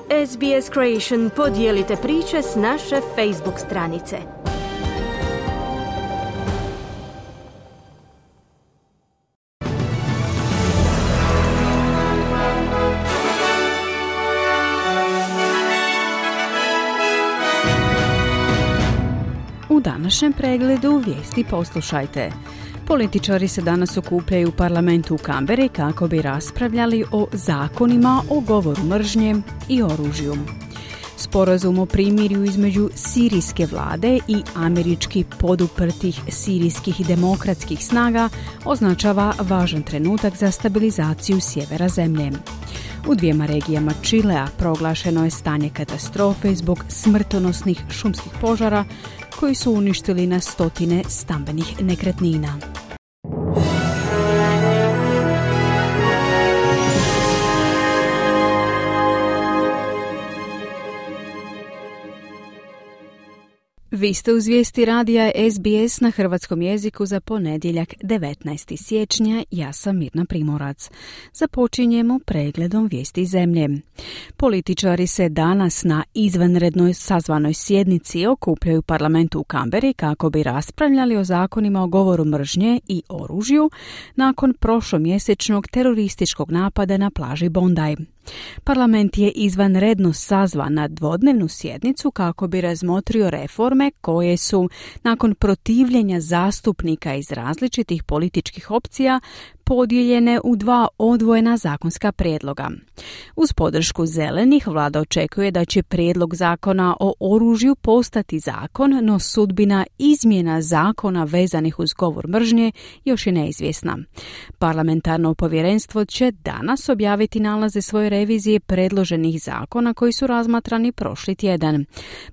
SBS Creation podijelite priče s naše Facebook stranice. U današnjem pregledu vijesti poslušajte. Političari se danas okupljaju u parlamentu u Kamberi kako bi raspravljali o zakonima o govoru mržnje i oružju. Sporazum o primirju između sirijske vlade i američki poduprtih sirijskih demokratskih snaga označava važan trenutak za stabilizaciju sjevera zemlje. U dvijema regijama Čilea proglašeno je stanje katastrofe zbog smrtonosnih šumskih požara koji su uništili na stotine stambenih nekretnina. Vi ste uz vijesti radija SBS na hrvatskom jeziku za ponedjeljak 19. siječnja. Ja sam Mirna Primorac. Započinjemo pregledom vijesti zemlje. Političari se danas na izvanrednoj sazvanoj sjednici okupljaju u parlamentu u Kamberi kako bi raspravljali o zakonima o govoru mržnje i oružju nakon prošlomjesečnog terorističkog napada na plaži Bondi. Parlament je izvanredno sazvan na dvodnevnu sjednicu kako bi razmotrio reforme koje su, nakon protivljenja zastupnika iz različitih političkih opcija, podijeljene u dva odvojena zakonska prijedloga. Uz podršku zelenih, vlada očekuje da će prijedlog zakona o oružju postati zakon, no sudbina izmjena zakona vezanih uz govor mržnje još je neizvjesna. Parlamentarno povjerenstvo će danas objaviti nalaze svoje revizije predloženih zakona koji su razmatrani prošli tjedan.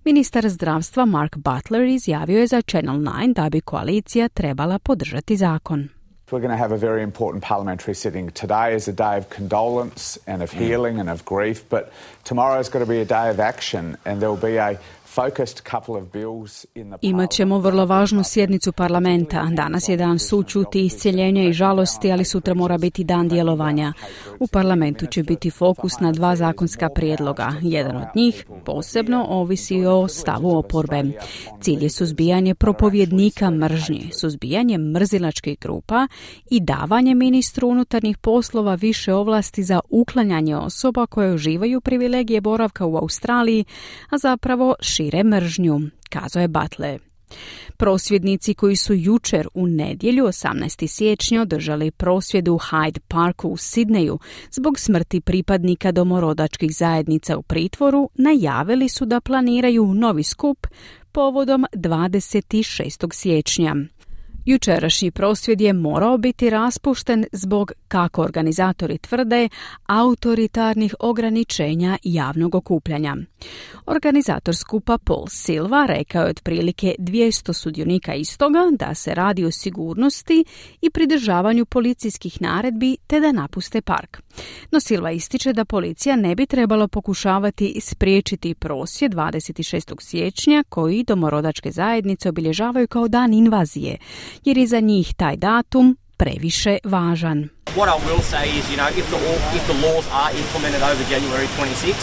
Ministar zdravstva Mark Butler izjavio je za Channel 9 da bi koalicija trebala podržati zakon. We're going to have a very important parliamentary sitting. Today is a day of condolence and of healing and of grief, but tomorrow's got to be a day of action and there will be a focused couple of bills in the Imat ćemo vrlo važnu sjednicu parlamenta. Danas je dan sućuti, iscjeljenja i žalosti, ali sutra mora biti dan djelovanja. U parlamentu će biti fokus na dva zakonska prijedloga. Jedan od njih posebno ovisi o stavu oporbe. Cilj je suzbijanje propovjednika mržnje, suzbijanje mrzilačkih grupa i davanje ministru unutarnjih poslova više ovlasti za uklanjanje osoba koje uživaju privilegije boravka u Australiji, a zapravo šire mržnju, kazao je Butler. Prosvjednici koji su jučer u nedjelju 18. siječnja održali prosvjed u Hyde Parku u Sidneju zbog smrti pripadnika domorodačkih zajednica u pritvoru, najavili su da planiraju novi skup povodom 26. siječnja. Jučerašnji prosvjed je morao biti raspušten zbog, kako organizatori tvrde, autoritarnih ograničenja javnog okupljanja. Organizator skupa Paul Silva rekao je otprilike 200 sudionika istoga da se radi o sigurnosti i pridržavanju policijskih naredbi te da napuste park. No Silva ističe da policija ne bi trebalo pokušavati spriječiti prosvjed 26. siječnja koji domorodačke zajednice obilježavaju kao dan invazije, jer je za njih taj datum previše važan. What I will say is, if the laws are implemented over January 26,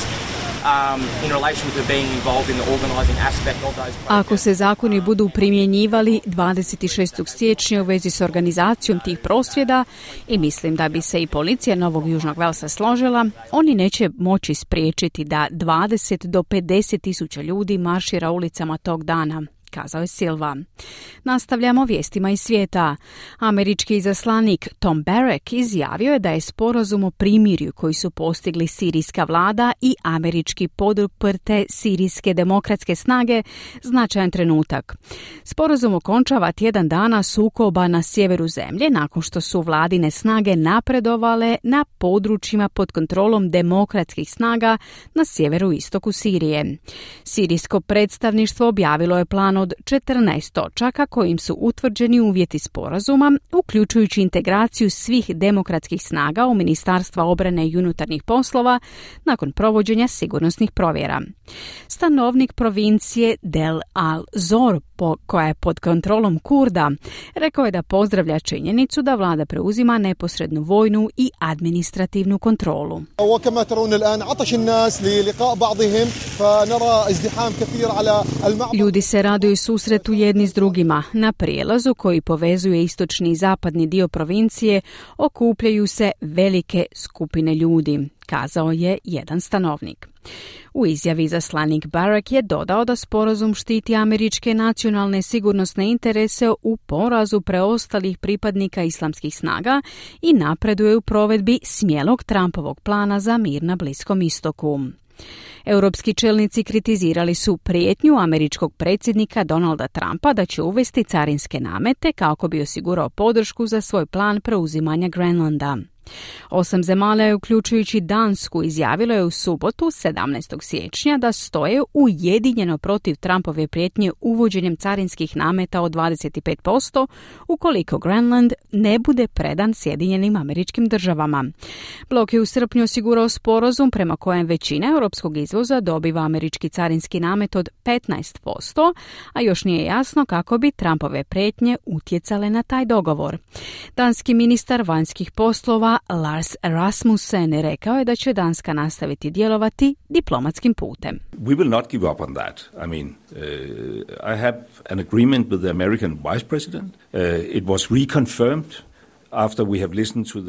in relation to being involved in the organizing aspect of those protests. Ako se zakoni budu primjenjivali 26. siječnja u vezi s organizacijom tih prosvjeda, i mislim da bi se i policija Novog Južnog Velsa složila, oni neće moći spriječiti da 20 do 50 tisuća ljudi maršira ulicama tog dana, kazao je Silva. Nastavljamo vijestima iz svijeta. Američki izaslanik Tom Barrack izjavio je da je sporazum o primirju koji su postigli sirijska vlada i američki poduprte sirijske demokratske snage značajan trenutak. Sporazum okončava tjedan dana sukoba na sjeveru zemlje nakon što su vladine snage napredovale na područjima pod kontrolom demokratskih snaga na sjeveru istoku Sirije. Sirijsko predstavništvo objavilo je plan jedan od 14 točaka kojim su utvrđeni uvjeti sporazuma, uključujući integraciju svih demokratskih snaga u Ministarstva obrane i unutarnjih poslova nakon provođenja sigurnosnih provjera. Stanovnik provincije Del Al-Zor, koja je pod kontrolom Kurda, rekao je da pozdravlja činjenicu da vlada preuzima neposrednu vojnu i administrativnu kontrolu. Ljudi se raduju susretu jedni s drugima. Na prijelazu koji povezuje istočni i zapadni dio provincije okupljaju se velike skupine ljudi, kazao je jedan stanovnik. U izjavi izaslanik Barak je dodao da sporazum štiti američke nacionalne sigurnosne interese u porazu preostalih pripadnika islamskih snaga i napreduje u provedbi smjelog Trumpovog plana za mir na Bliskom istoku. Europski čelnici kritizirali su prijetnju američkog predsjednika Donalda Trumpa da će uvesti carinske namete kako bi osigurao podršku za svoj plan preuzimanja Grenlanda. 8 zemalja, uključujući Dansku, izjavilo je u subotu 17. siječnja da stoje ujedinjeno protiv Trumpove prijetnje uvođenjem carinskih nameta od 25% ukoliko Grenland ne bude predan Sjedinjenim Američkim Državama. Blok je u srpnju osigurao sporazum prema kojem većina europskog izvoza dobiva američki carinski namet od 15%, a još nije jasno kako bi Trumpove prijetnje utjecale na taj dogovor. Danski ministar vanjskih poslova Lars Rasmussen rekao je da će Danska nastaviti djelovati diplomatskim putem. We will not give up on that. I mean, I have an agreement with the American vice president. It was reconfirmed.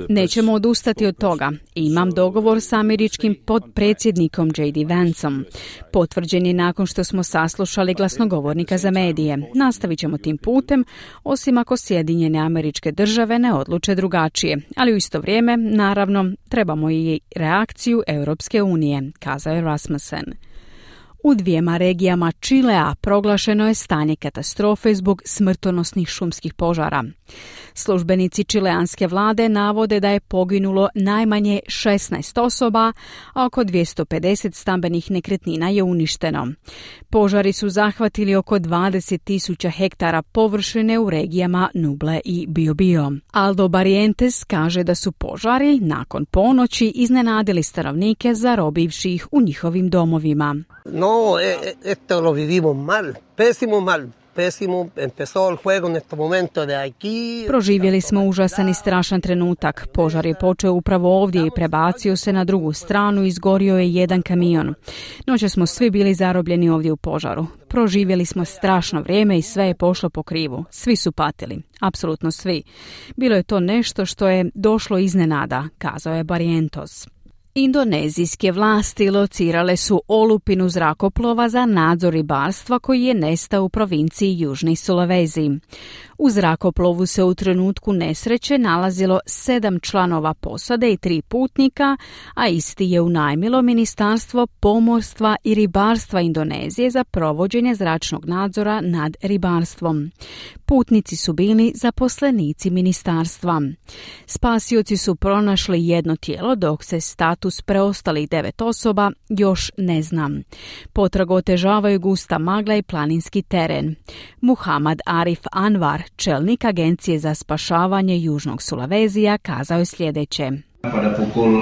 Nećemo odustati od toga. Imam dogovor sa američkim potpredsjednikom J.D. Vanceom. Potvrđen je nakon što smo saslušali glasnogovornika za medije. Nastavit ćemo tim putem, osim ako Sjedinjene Američke Države ne odluče drugačije. Ali u isto vrijeme, naravno, trebamo i reakciju Europske unije, kazao je Rasmussen. U 2 regijama Čilea proglašeno je stanje katastrofe zbog smrtonosnih šumskih požara. Službenici čileanske vlade navode da je poginulo najmanje 16 osoba, a oko 250 stambenih nekretnina je uništeno. Požari su zahvatili oko 20.000 hektara površine u regijama Nuble i Biobío. Aldo Barrientos kaže da su požari nakon ponoći iznenadili stanovnike zarobivši ih u njihovim domovima. No, esto lo vivimos mal, pésimo mal. Proživjeli smo užasan i strašan trenutak. Požar je počeo upravo ovdje i prebacio se na drugu stranu i izgorio je jedan kamion. Noće smo svi bili zarobljeni ovdje u požaru. Proživjeli smo strašno vrijeme i sve je pošlo po krivu. Svi su patili. Apsolutno svi. Bilo je to nešto što je došlo iznenada, kazao je Barrientos. Indonezijske vlasti locirale su olupinu zrakoplova za nadzor ribarstva koji je nestao u provinciji Južni Sulawesi. U zrakoplovu se u trenutku nesreće nalazilo 7 članova posade i 3 putnika, a isti je unajmilo Ministarstvo pomorstva i ribarstva Indonezije za provođenje zračnog nadzora nad ribarstvom. Putnici su bili zaposlenici ministarstva. Spasioci su pronašli jedno tijelo, dok se status preostalih 9 osoba još ne zna. Potragu otežavaju gusta magla i planinski teren. Muhammad Arif Anwar, čelnik Agencije za spašavanje Južnog Sulawesija, kazao je sljedeće. Pada pukul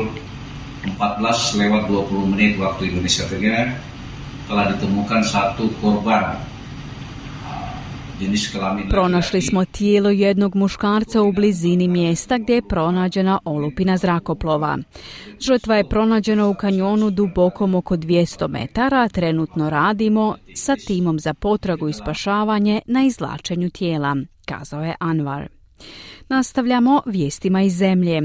14:20 waktu Indonesia Tengah telah ditemukan 1 korban. Pronašli smo tijelo jednog muškarca u blizini mjesta gdje je pronađena olupina zrakoplova. Žrtva je pronađena u kanjonu dubokom oko 200 metara. Trenutno radimo sa timom za potragu i spašavanje na izvlačenju tijela, kazao je Anwar. Nastavljamo vijestima iz zemlje.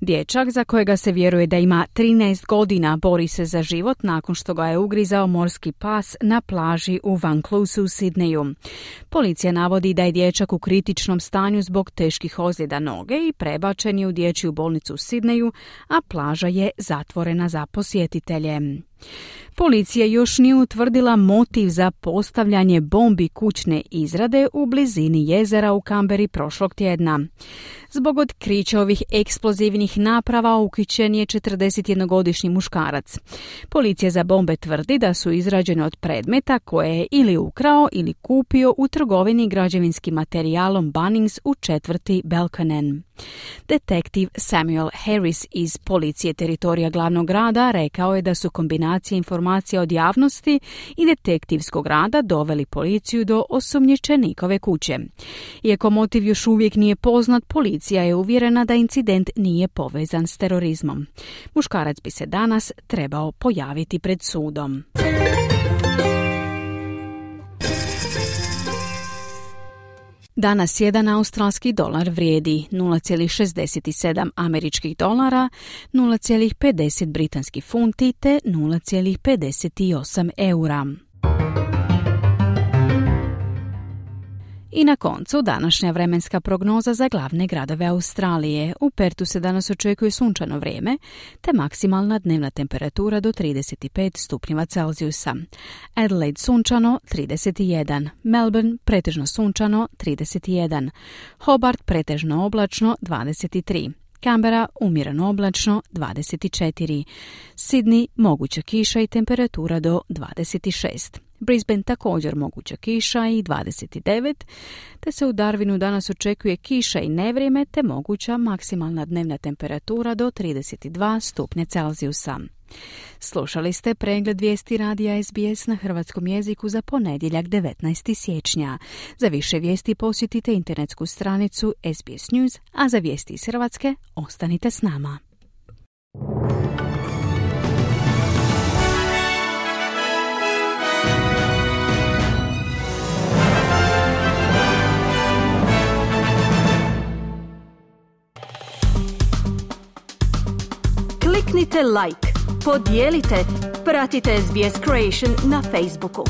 Dječak za kojega se vjeruje da ima 13 godina bori se za život nakon što ga je ugrizao morski pas na plaži u Vanclousu u Sidneju. Policija navodi da je dječak u kritičnom stanju zbog teških ozljeda noge i prebačen je u dječju bolnicu u Sidneju, a plaža je zatvorena za posjetitelje. Policija još nije utvrdila motiv za postavljanje bombi kućne izrade u blizini jezera u Kamberi prošlog tjedna. Zbog otkrića ovih eksplozivnih naprava uhićen je 41-godišnji muškarac. Policija za bombe tvrdi da su izrađene od predmeta koje je ili ukrao ili kupio u trgovini građevinskim materijalom Bunnings u četvrti Belconnen. Detektiv Samuel Harris iz policije teritorija glavnog grada rekao je da su kombinacije informacija od javnosti i detektivskog rada doveli policiju do osumnjičenikove kuće. Iako motiv još uvijek nije poznat, policija je uvjerena da incident nije povezan s terorizmom. Muškarac bi se danas trebao pojaviti pred sudom. Danas jedan australski dolar vrijedi 0,67 američkih dolara, 0,50 britanskih funti te 0,58 eura. I na koncu današnja vremenska prognoza za glavne gradove Australije. U Pertu se danas očekuje sunčano vrijeme, te maksimalna dnevna temperatura do 35 stupnjeva Celzijusa. Adelaide sunčano 31, Melbourne pretežno sunčano 31, Hobart pretežno oblačno 23, Canberra umjereno oblačno 24, Sydney moguća kiša i temperatura do 26. Brisbane također moguća kiša i 29, te se u Darwinu danas očekuje kiša i nevrijeme te moguća maksimalna dnevna temperatura do 32 stupnja Celzijusa. Slušali ste pregled vijesti radija SBS na hrvatskom jeziku za ponedjeljak 19. siječnja. Za više vijesti posjetite internetsku stranicu SBS News, a za vijesti iz Hrvatske ostanite s nama. Kliknite like, podijelite, pratite SBS Creation na Facebooku.